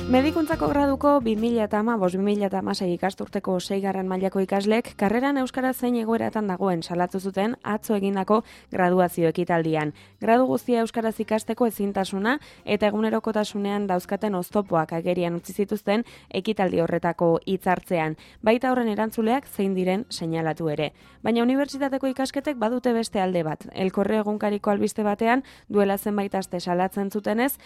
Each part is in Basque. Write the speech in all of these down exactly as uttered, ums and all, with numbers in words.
Medikuntzako graduko bi mila hamabost bi mila hamasei ikasturteko seigarren mailako ikaslek karreran euskara zein egoeratan dagoen salatu zuten atzo egindako graduazio ekitaldian. Gradu guztia euskaraz ikasteko ezintasuna eta egunerokotasunean dauzkaten oztopoak agerian utzi zituzten ekitaldi horretako hitzartzean. Baita horren erantzuleak zein diren seinalatu ere. Baina unibertsitateko ikasketek badute beste alde bat. El Correo egunkariko albiste batean duela zenbait aste salatzen zutenez,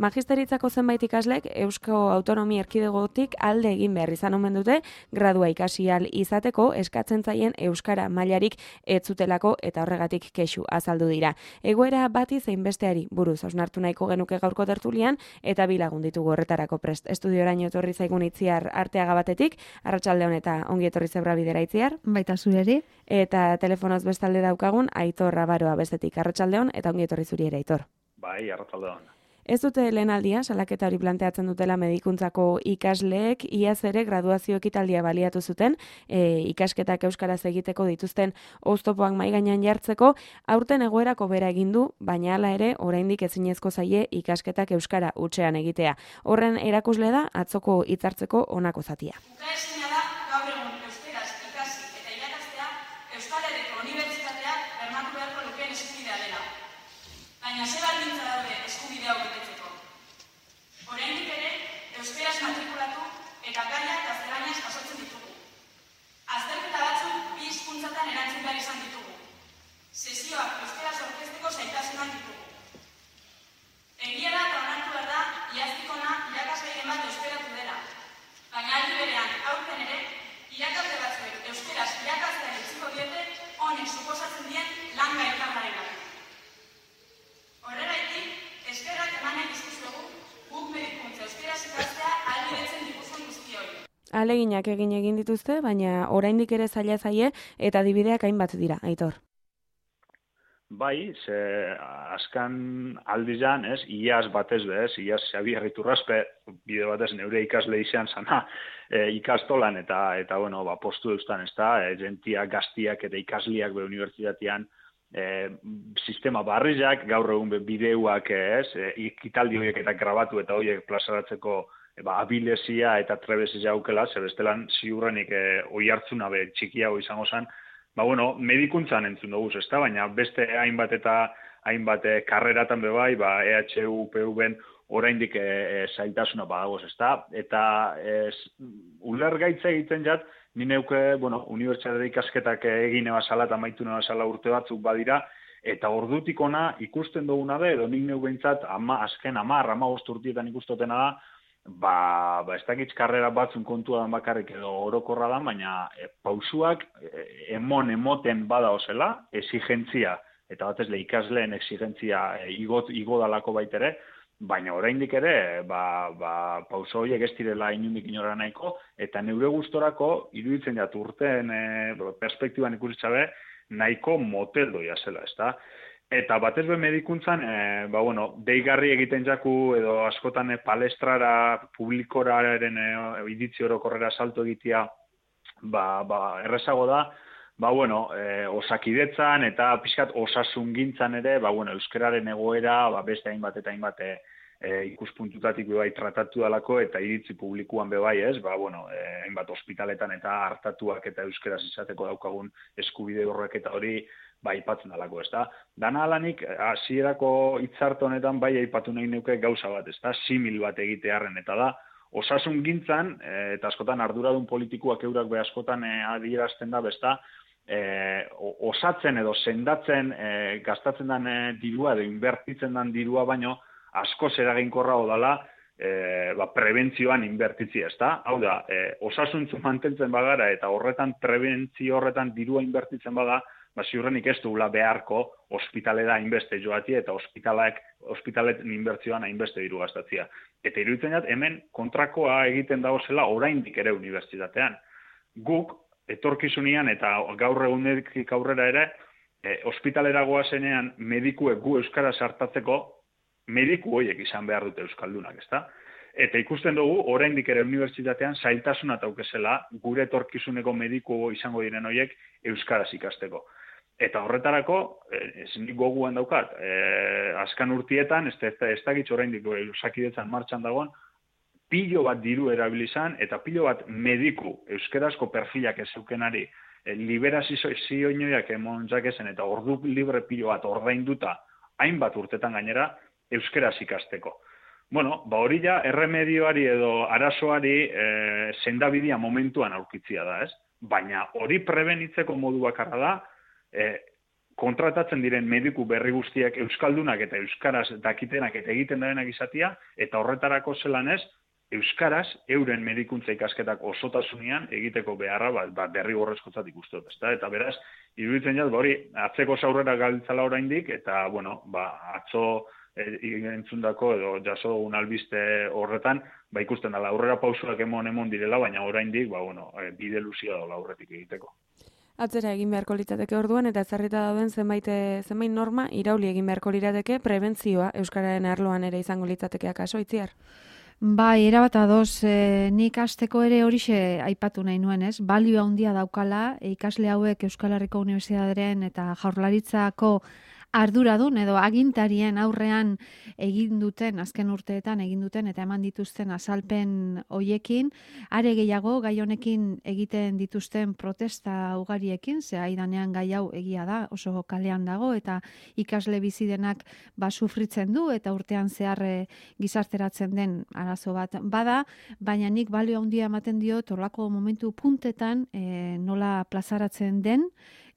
Magisteritzako zenbait ikaslek Eusko Autonomia Erkidegotik alde egin behar izan omen dute gradua ikasi ahal izateko eskatzen zaien euskara mailarik ez zutelako eta horregatik kexu azaldu dira. Egoera bati zein besteari buruz hausnartu nahiko genuke gaurko tertulian eta bi lagun ditugu horretarako prest. Estudioraino etorri zaigun Itziar Arteaga batetik, arratsaldeon eta ongi etorri Zebra Bidera Itziar. Baita zureri. Eta telefonoz bestalde daukagun Aitor Rabaroa bestetik, arratsaldeon eta ongi etorri zuri ere Aitor. Bai, arratsaldeon. Ez dute lehen aldia, salaketa hori planteatzen dutela medikuntzako ikasleek, iaz ere graduazio ekitaldia baliatu zuten, e, ikasketak euskaraz egiteko dituzten oztopoak mahai gainean jartzeko, aurten egoerako bera egin du, baina hala ere oraindik ezinezko zaie ikasketak euskara hutsean egitea. Horren erakusle da atzoko hitzartzeko honako zatia. Ukaezina da gaur egun euskaraz ikasi eta irakastea Euskal Herriko Unibertsitateak bermatu beharko lukeen eskubidea dela. Baina ze baldintza daude eskubide hau betetzeko. Oraindik ere, euskaraz matrikulatu eta gaia gaztelaniaz jasotzen ditugu. Azterketa batzuk bi hizkuntzatan erantzun behar izan ditugu. Sesioak euskaraz aurkezteko zailtasunak ditugu. Egia da eta onartu behar da, iaztik ona irakasgairen bat euskaratu dela. Baina aldi berean, aurten ere, irakasle batzuek euskaraz irakaslean utziko diete honek suposatzen dien lan gailkargarenak. Horregaitik, eskerrak eman nahi dizkizuegu, guk medikuntza euskaraz ikastea ahalbidetzen dituzuen guztioi. Ahaleginak egin egin dituzte, baina oraindik ere zaila zaie eta adibideak hainbat dira, Aitor. Bai, ze askan aldizan, ez, iaz batez be, ez, iaz Xabier Iturraspe, bide batez neure ikasle izan zana, e, ikastolan eta, eta bueno, ba, postu eustan, ez da, e, gentiak, gaztiak eta ikasliak be unibertsitatean, E, sistema barrizak, gaur egun bideuak ez, e, ikitaldi horiek eta grabatu eta horiek plazaratzeko e, ba, abilezia eta trebezia aukela, zer bestelan ziurrenik e, oi hartzuna be txikiago izango zen, ba bueno, medikuntzan entzun dugu, ez da, baina beste hainbat eta hainbat e, karreratan be bai, ba, E H U, U P V-en oraindik e, e, zailtasuna badagoz, ez da, eta e, ulergaitza egiten jat, ni neuke, bueno, unibertsitate ikasketak egin ebasala eta maitu ebasala urte batzuk badira, eta ordutik ona ikusten duguna be, edo nik neu behintzat, ama, azken amar, ama urtietan ikustotena da, ba, ba ez dakitz karrera batzun kontua dan bakarrik edo orokorra da, baina e, pausuak e, emon emoten bada osela, exigentzia, eta batez le ikasleen exigentzia e, igo, igo dalako baitere, baina oraindik ere, ba, ba, pauso horiek ez direla inundik inora nahiko, eta neure gustorako iruditzen jat urteen e, perspektiban ikusitzabe nahiko moteldoia zela, ezta? Eta batez be medikuntzan, e, ba, bueno, deigarri egiten jaku edo askotan e, palestrara, publikoraren e, iritzi orokorrera salto egitea, ba, ba, errezago da, ba, bueno, e, osakidetzan eta pixkat osasungintzan ere, ba, bueno, euskararen egoera, ba, beste hainbat eta hainbat e, e, ikuspuntutatik bebai tratatu dalako eta iritzi publikuan bebai ez, ba, bueno, e, hainbat ospitaletan eta hartatuak eta euskaraz izateko daukagun eskubide horrek eta hori, ba, aipatzen dalako, ez da. Dana alanik, hasierako hitzarte honetan bai aipatu nahi neuke gauza bat, ez da, simil bat egitearren eta da, osasun gintzan, e, eta askotan arduradun politikoak eurak be askotan e, adierazten da, besta, E, osatzen edo sendatzen e, gastatzen den e, dirua edo inbertitzen den dirua baino askoz eraginkorrago dela e, ba, prebentzioan inbertitzi, ez da? Hau da, e, osasuntzu mantentzen bagara eta horretan prebentzio horretan dirua inbertitzen baga, ba, ziurrenik ez dugula beharko ospitalera hainbeste joatia eta ospitalak, ospitalet inbertzioan hainbeste diru gastatzia. Eta iruditzen jat, hemen kontrakoa egiten dagozela oraindik ere unibertsitatean. Guk, etorkizunean eta gaur egunetik aurrera ere, e, ospitalera goazenean medikuek gu euskara sartatzeko, mediku horiek izan behar dute euskaldunak, ezta? Eta ikusten dugu, oraindik ere unibertsitatean zailtasuna taukezela gure etorkizuneko mediku izango diren horiek euskaraz ikasteko. Eta horretarako, ez nik goguan daukat, e, azkan urtietan, ez, ez, ez dakitz oraindik osakidetzan martxan dagoen, pilo bat diru erabilizan, eta pilo bat mediku euskarazko perfilak ez zeukenari e, liberazioinoiak emontzak ezen, eta ordu libre pilo bat ordainduta hainbat urtetan gainera euskaraz ikasteko. Bueno, ba hori ja, erremedioari edo arazoari e, sendabidia momentuan aurkitzia da, ez? Baina hori prebenitzeko modu bakarra da, e, kontratatzen diren mediku berri guztiak euskaldunak eta euskaraz dakitenak eta egiten darenak izatia, eta horretarako zelan ez, euskaraz euren medikuntza ikasketak osotasunean egiteko beharra bat ba, berri gorrezkotzat ikustot, ezta? Eta beraz, iruditzen jat, ba hori, atzeko zaurrera galtzala oraindik, eta, bueno, ba, atzo e, entzundako edo jaso dugun albiste horretan, ba ikusten dela, aurrera pausuak emon emon direla, baina oraindik, ba, bueno, e, bide luzia dola aurretik egiteko. Atzera egin beharko litzateke orduan, eta ezarrita dauden zenbait, zenbait norma irauli egin beharko lirateke prebentzioa euskararen arloan ere izango litzatekea kaso, Itziar? Bai, erabat adoz, e, nik hasteko ere horixe aipatu nahi nuen, ez? Balio handia daukala, ikasle hauek Euskal Herriko Unibertsitatearen eta Jaurlaritzako arduradun edo agintarien aurrean egin duten, azken urteetan egin duten eta eman dituzten azalpen hoiekin, are gehiago gai honekin egiten dituzten protesta ugariekin, ze aidanean gai hau egia da, oso kalean dago eta ikasle bizi denak ba sufritzen du eta urtean zehar gizarteratzen den arazo bat bada, baina nik balio handia ematen diot horlako momentu puntetan e, nola plazaratzen den,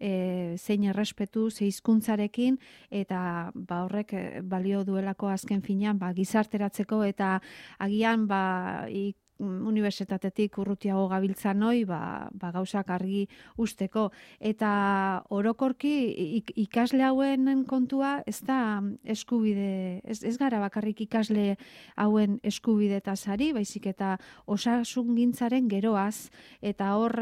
E, zein errespetu, ze hizkuntzarekin eta ba horrek balio duelako azken finean ba gizarteratzeko eta agian ba ik, unibertsitatetik urrutiago gabiltzan hoi, ba, ba gauzak argi usteko. Eta orokorki ik, ikasle hauen kontua ez da eskubide, ez, ez gara bakarrik ikasle hauen eskubide eta sari, baizik eta osasungintzaren geroaz, eta hor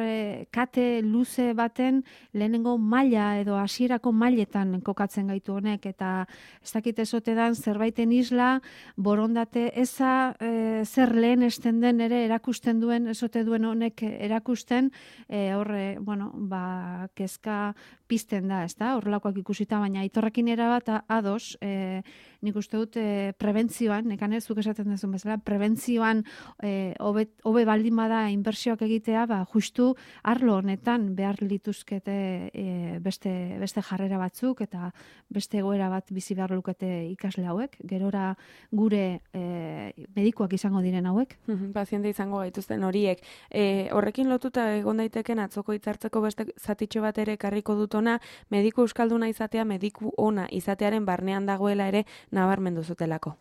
kate luze baten lehenengo maila edo hasierako mailetan kokatzen gaitu honek, eta ez dakit ezote dan zerbaiten isla, borondate eza e, zer lehen esten den ere erakusten duen, esote duen honek erakusten, e, horre, bueno, ba, kezka pizten da, ez da, horrelakoak ikusita, baina aitorrekin erabat ados, e, nik uste dut e, prebentzioan, nekan ez zuk esaten duzun bezala, prebentzioan e, hobe, hobe baldin bada inbertsioak egitea, ba, justu arlo honetan behar lituzkete e, beste, beste jarrera batzuk, eta beste egoera bat bizi behar lukete ikasle hauek, gerora gure e, medikuak izango diren hauek. Paziente izango gaituzten horiek. E, horrekin lotuta egon daiteken atzoko hitzartzeko beste zatitxo bat ere karriko dut ona, mediku euskalduna izatea, mediku ona izatearen barnean dagoela ere nabarmendu zutelako.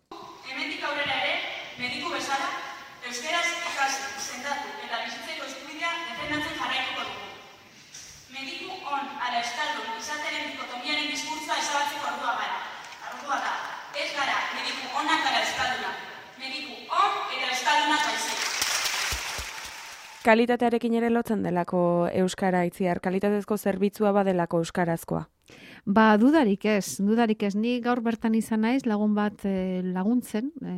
Hemendik aurrera ere, mediku bezala, euskaraz ikasi, sendatu eta bizitzeko eskubidea defendatzen jarraituko dugu. Mediku on ala euskaldun izatearen dikotomiaren diskurtsoa ezabatzeko ordua gara. Ordua da, ez gara mediku onak ala euskalduna. Mediku on eta euskaldunak baizik. Kalitatearekin ere lotzen delako euskara, Itziar, kalitatezko zerbitzua badelako euskarazkoa. Ba, dudarik ez, dudarik ez. Ni gaur bertan izan naiz, lagun bat e, laguntzen, e,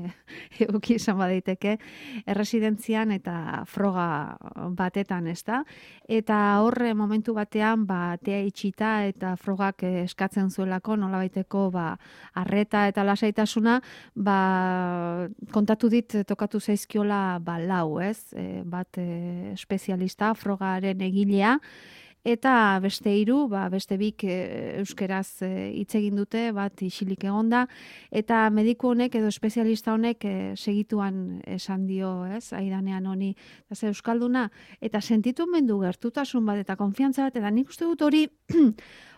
eguki izan badaiteke, erresidentzian eta froga batetan, ez da? Eta horre momentu batean, ba, tea itxita eta frogak eskatzen zuelako, nolabaiteko, ba, arreta eta lasaitasuna, ba, kontatu dit, tokatu zaizkiola, ba, lau, ez? E, bat e, espezialista, frogaren egilea, eta beste hiru, ba, beste bik e, euskeraz hitz e, egin dute, bat isilik egonda, eta mediku honek edo espezialista honek e, segituan esan dio, ez, aidanean honi, ez euskalduna, eta sentitu mendu gertutasun bat eta konfiantza bat, eta nik uste dut hori,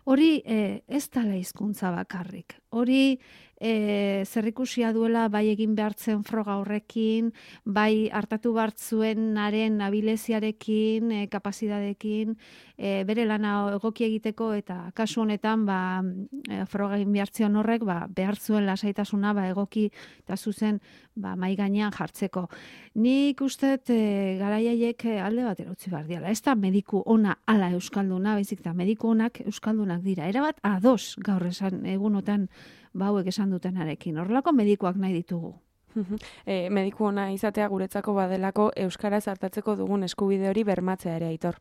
hori e, ez dala hizkuntza bakarrik, hori E, zerrikusia duela bai egin behartzen froga horrekin, bai hartatu bartzuenaren abileziarekin, e, kapazidadekin, e, bere lana egoki egiteko, eta kasu honetan ba, e, froga egin behartzion horrek ba, behar zuen lasaitasuna ba, egoki eta zuzen ba, mai gainean jartzeko. Nik uste e, garaiaiek alde batera utzi behar diala. Ez da mediku ona ala euskalduna, baizik da mediku onak euskaldunak dira. Erabat ados gaur esan egunotan bauek esan dutenarekin. Horrelako medikuak nahi ditugu. e, mediku ona izatea guretzako badelako euskaraz hartatzeko dugun eskubide hori bermatzea ere, Aitor.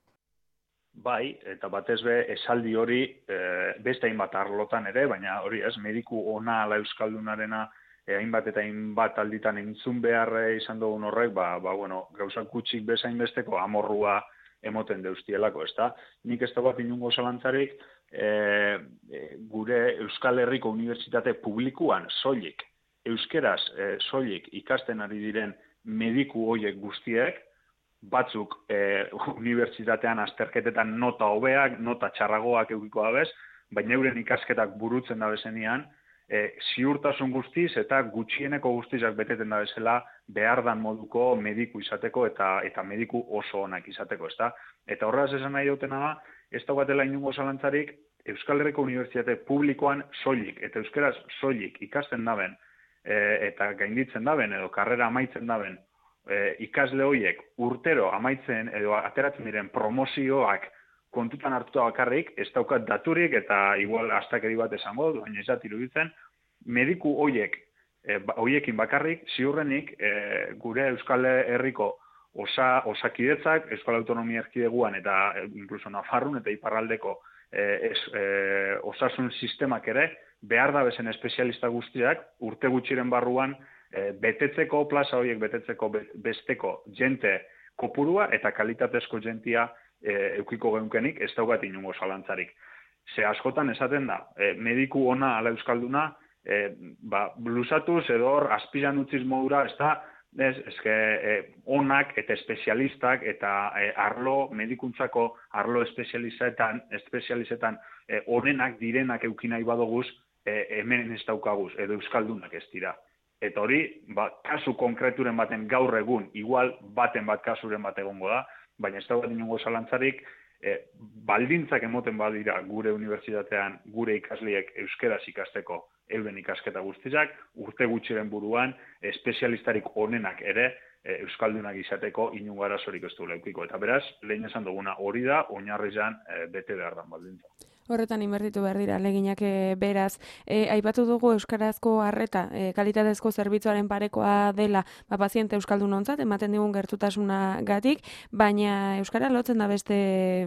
Bai, eta batez be esaldi hori e, beste hainbat arlotan ere, baina hori ez, mediku ona ala euskaldunarena e, hainbat eta hainbat alditan entzun behar izan dugun horrek, ba, ba bueno, gauzak gutxik bezain besteko amorrua emoten deustielako, ezta? Nik ez da bat inungo zalantzarik, e, e, gure Euskal Herriko Unibertsitate publikuan soilik, euskeraz e, soilik ikasten ari diren mediku hoiek guztiek, batzuk e, unibertsitatean azterketetan nota hobeak, nota txarragoak eukiko dabez, baina euren ikasketak burutzen da bezenian, e, ziurtasun guztiz eta gutxieneko guztizak beteten da bezala behar dan moduko mediku izateko eta eta mediku oso onak izateko, ezta? Eta horraz esan nahi dutena da, ez daugatela inungo zalantzarik, Euskal Herriko Unibertsitate publikoan soilik, eta euskeraz soilik ikasten daben, e, eta gainditzen daben, edo karrera amaitzen daben, e, ikasle horiek urtero amaitzen edo ateratzen diren promozioak kontutan hartuta bakarrik, ez daukat daturik eta igual astakeri bat esango, baina ez dat iruditzen, mediku horiek, e, horiekin bakarrik, ziurrenik e, gure Euskal Herriko osa, osakidetzak, Euskal Autonomia Erkideguan eta e, incluso Nafarrun eta Iparraldeko e, es, e, osasun sistemak ere, behar da bezen espezialista guztiak, urte gutxiren barruan, e, betetzeko, plaza horiek betetzeko besteko jente kopurua eta kalitatezko jentia E, eukiko geunkenik, ez daugat inungo zalantzarik. Ze askotan esaten da, e, mediku ona ala euskalduna, e, ba, blusatuz edo hor azpiran utziz modura, ez da, ez, ezke, e, onak eta espezialistak eta e, arlo, medikuntzako arlo espezializetan, espezializetan e, onenak direnak eukinai badoguz, e, hemen ez daukaguz, edo euskaldunak ez dira. Eta hori, ba, kasu konkreturen baten gaur egun, igual baten bat kasuren bat egongo da, baina ez daugat inongo zalantzarik, e, baldintzak emoten badira gure unibertsitatean, gure ikasliek euskeraz ikasteko euren ikasketa guztizak, urte gutxiren buruan, espezialistarik onenak ere, e, euskaldunak izateko inongo arazorik ez du leukiko. Eta beraz, lehen esan duguna hori da, oinarrizan e, bete behar dan baldintza. Horretan inbertitu behar dira, leginak e, beraz. E, aipatu dugu euskarazko arreta, e, kalitatezko zerbitzuaren parekoa dela, ba, paziente euskaldun ontzat, ematen digun gertutasuna gatik, baina euskara lotzen da beste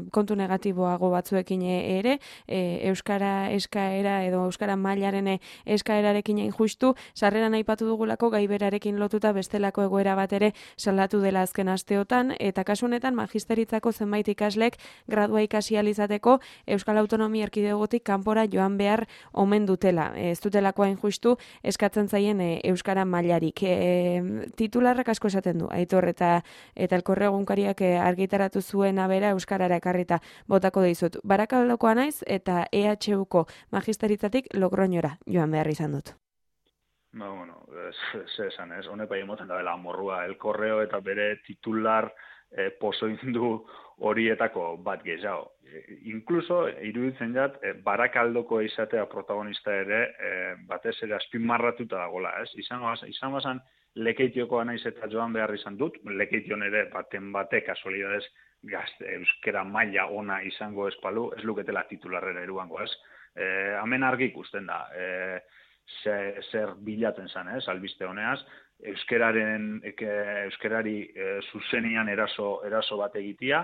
kontu negatiboago batzuekin ere, e, euskara eskaera edo euskara mailaren eskaerarekin egin justu, sarreran aipatu dugulako gaiberarekin lotuta bestelako egoera bat ere salatu dela azken asteotan, eta kasu honetan magisteritzako zenbait ikaslek gradua ikasi ahal izateko Euskal Autonomia Erkidegotik kanpora joan behar omen dutela. Ez dutelako hain justu eskatzen zaien e, euskara mailarik. E, titularrak asko esaten du, Aitor, eta eta Elkorre egunkariak e, argitaratu zuena bera euskarara ekarrita botako dizut. Barakaldokoa naiz eta E H Uko magisteritzatik Logroñora joan behar izan dut. Ba, bueno, ze esan ez, honek bai emoten da dela amorrua, Elkorreo eta bere titular e, pozoindu horietako bat gehiago. E, inkluso, iruditzen jat, e, Barakaldoko izatea protagonista ere, e, batez ere azpimarratuta dagoela, ez? Izan izan bazan, Lekeitioko naiz eta joan behar izan dut, Lekeition ere baten bate kasualidades gazte, euskera maila ona izango espalu, ez luketela titularrera eruango, ez? E, hemen argi ikusten da, e, zer, zer bilaten zen, ez, albiste honeaz, euskeraren, eke, euskerari e, zuzenian eraso, eraso bat egitea,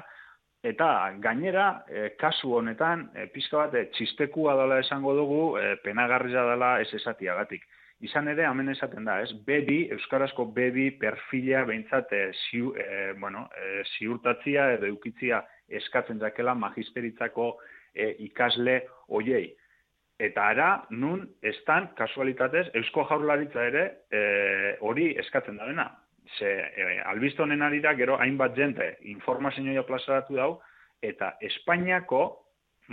eta gainera, e, kasu honetan, e, pizka bat, e, txistekua dela esango dugu, e, penagarria dela ez esatiagatik. Izan ere, hemen esaten da, ez, be bi, euskarazko be bi perfila behintzat e, ziu, e, bueno, e, ziurtatzia edo eukitzia eskatzen jakela magisteritzako e, ikasle hoiei. Eta ara, nun, estan, kasualitatez, Eusko Jaurlaritza ere hori e, eskatzen da dena. Ze, e, albiste honen arira, gero hainbat jente informazioa plazaratu dau, eta Espainiako,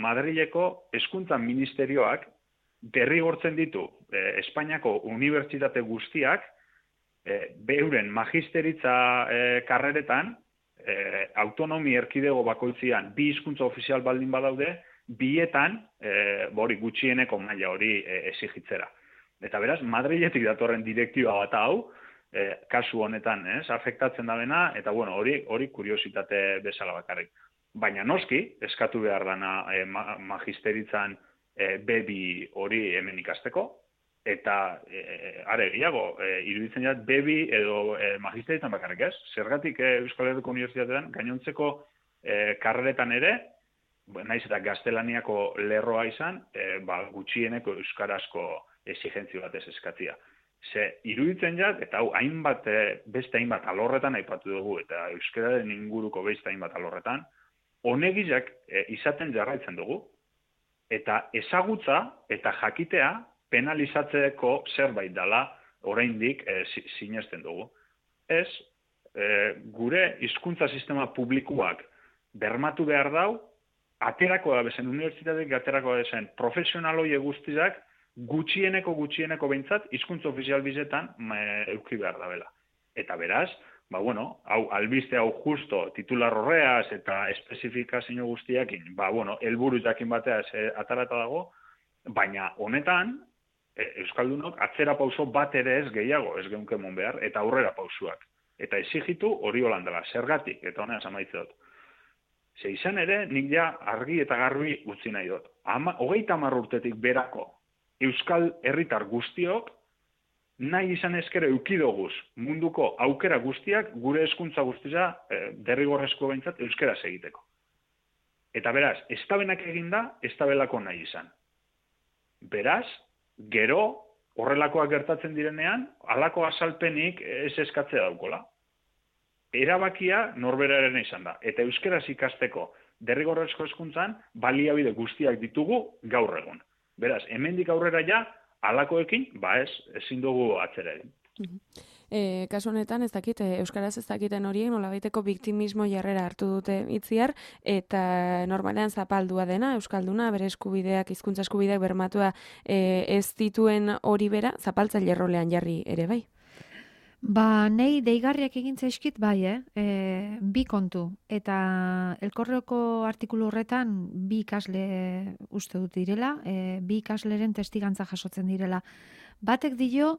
Madrileko hezkuntza ministerioak derrigortzen ditu e, Espainiako unibertsitate guztiak e, beuren magisteritza e, karreretan, e, autonomi erkidego bakoitzian bi hizkuntza ofizial baldin badaude, bietan, e, hori gutxieneko maila hori e, exigitzera. Eta beraz, Madriletik datorren direktiba bat hau, e, kasu honetan, ez, afektatzen da dena, eta bueno, hori hori kuriositate bezala bakarrik. Baina noski, eskatu behar dana e, ma, magisteritzan e, bebi hori hemen ikasteko, eta e, are gehiago, e, iruditzen jat bebi edo e, magisteritzan bakarrik, ez? Zergatik e, Euskal Herriko Unibertsitatean gainontzeko e, karreretan ere, naiz eta gaztelaniako lerroa izan, e, ba, gutxieneko euskarazko exigentzio batez eskatzia. Ze, iruditzen jat, eta hau, hainbat, beste hainbat alorretan aipatu dugu, eta euskararen inguruko beste hainbat alorretan, honegizak e, izaten jarraitzen dugu, eta ezagutza eta jakitea penalizatzeko zerbait dela oraindik e, sinesten dugu. Ez, e, gure hizkuntza sistema publikoak bermatu behar dau, aterako da bezen, unibertsitateak aterako da bezen, profesional horiek guztizak, gutxieneko gutxieneko behintzat hizkuntza ofizial bizetan euki behar da bela. Eta beraz, ba bueno, hau albiste hau justo titular horreaz eta espezifikazio guztiakin, ba bueno, helburu jakin bateaz e, atarata dago, baina honetan e, euskaldunok atzera pauso bat ere ez gehiago, ez geunkemon behar, eta aurrera pausuak. Eta exigitu hori holandela, zergatik, eta honeaz amaitze dut. Ze izan ere, nik ja argi eta garbi utzi nahi dut. Ama, hogeita hamar urtetik berako euskal herritar guztiok nahi izan ezkero eukidoguz munduko aukera guztiak gure hezkuntza guztia e, derrigorrezko behintzat euskaraz egiteko. Eta beraz, ez tabenak eginda, ez tabelako nahi izan. Beraz, gero horrelakoak gertatzen direnean, halako azalpenik ez eskatzea daukola. Erabakia norberaren izan da. Eta euskaraz ikasteko derrigorrezko hezkuntzan baliabide guztiak ditugu gaur egun. Beraz, hemendik aurrera ja, halakoekin, ba ez, ezin dugu atzera egin. E, kasu honetan, ez dakit, euskaraz ez dakiten horiek, nolabaiteko biktimismo jarrera hartu dute itziar, eta normalean zapaldua dena, euskalduna, bere eskubideak, hizkuntza eskubideak bermatua e, ez dituen hori bera, zapaltzaile rolean jarri ere bai. Ba, nei deigarriak egin zaizkit bai, eh? E, bi kontu. Eta elkorreko artikulu horretan bi ikasle uste dut direla, e, bi ikasleren testigantza jasotzen direla. Batek dio,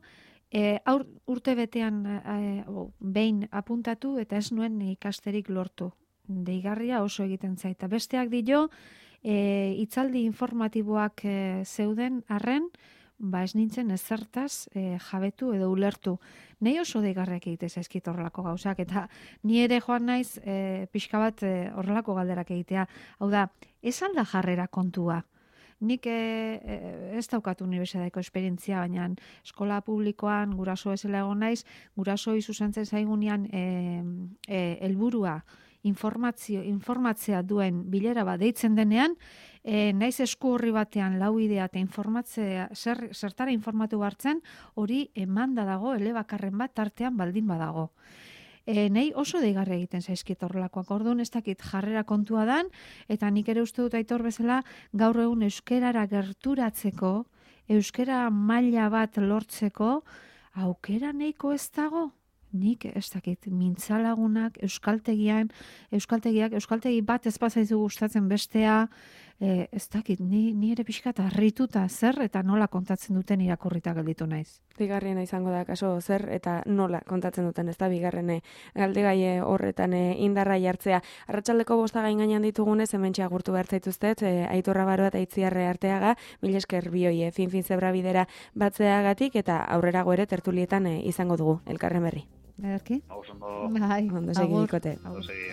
e, aur, urte betean e, behin apuntatu eta ez nuen ikasterik lortu. Deigarria oso egiten zaita. Besteak dio, e, itzaldi informatiboak e, zeuden arren, ba ez nintzen ezertaz e, jabetu edo ulertu. Nei oso deigarriak egite zaizkit horrelako gauzak, eta ni ere joan naiz e, pixka bat e, horrelako galderak egitea. Hau da, ez alda jarrera kontua. Nik e, e, ez daukat unibertsitateko esperientzia, baina eskola publikoan guraso ezela egon naiz, guraso izuzentzen zaigunean e, e, helburua informazio, informatzea duen bilera bat deitzen denean, e, naiz esku horri batean lau idea eta informatzea, zer, zertara informatu hartzen, hori emanda dago, elebakarren bat tartean baldin badago. E, nei oso deigarri egiten zaizkit horrelakoak, orduan ez dakit jarrera kontua dan, eta nik ere uste dut Aitor bezala gaur egun euskerara gerturatzeko, euskera maila bat lortzeko, aukera nahiko ez dago? Nik ez dakit, mintzalagunak, euskaltegian, euskaltegiak, euskaltegi bat ez bazaizu gustatzen bestea, e, ez dakit, ni, ni ere pixka eta harrituta zer eta nola kontatzen duten irakurrita gelditu naiz. Bigarrena izango da kaso zer eta nola kontatzen duten, ez da bigarrene galdegai horretan e, indarra jartzea. Arratsaldeko bosta gain gainean ditugunez, hementxe agurtu behar zaituztet, e, Aitor Rabaroa eta Itziarre Arteaga, mila esker bioi, fin-fin zebra bidera batzeagatik, eta aurrerago ere tertulietan e, izango dugu, elkarren berri. Ederki? Hau zondo. Bai, ondo segi ikote. Ondo segi.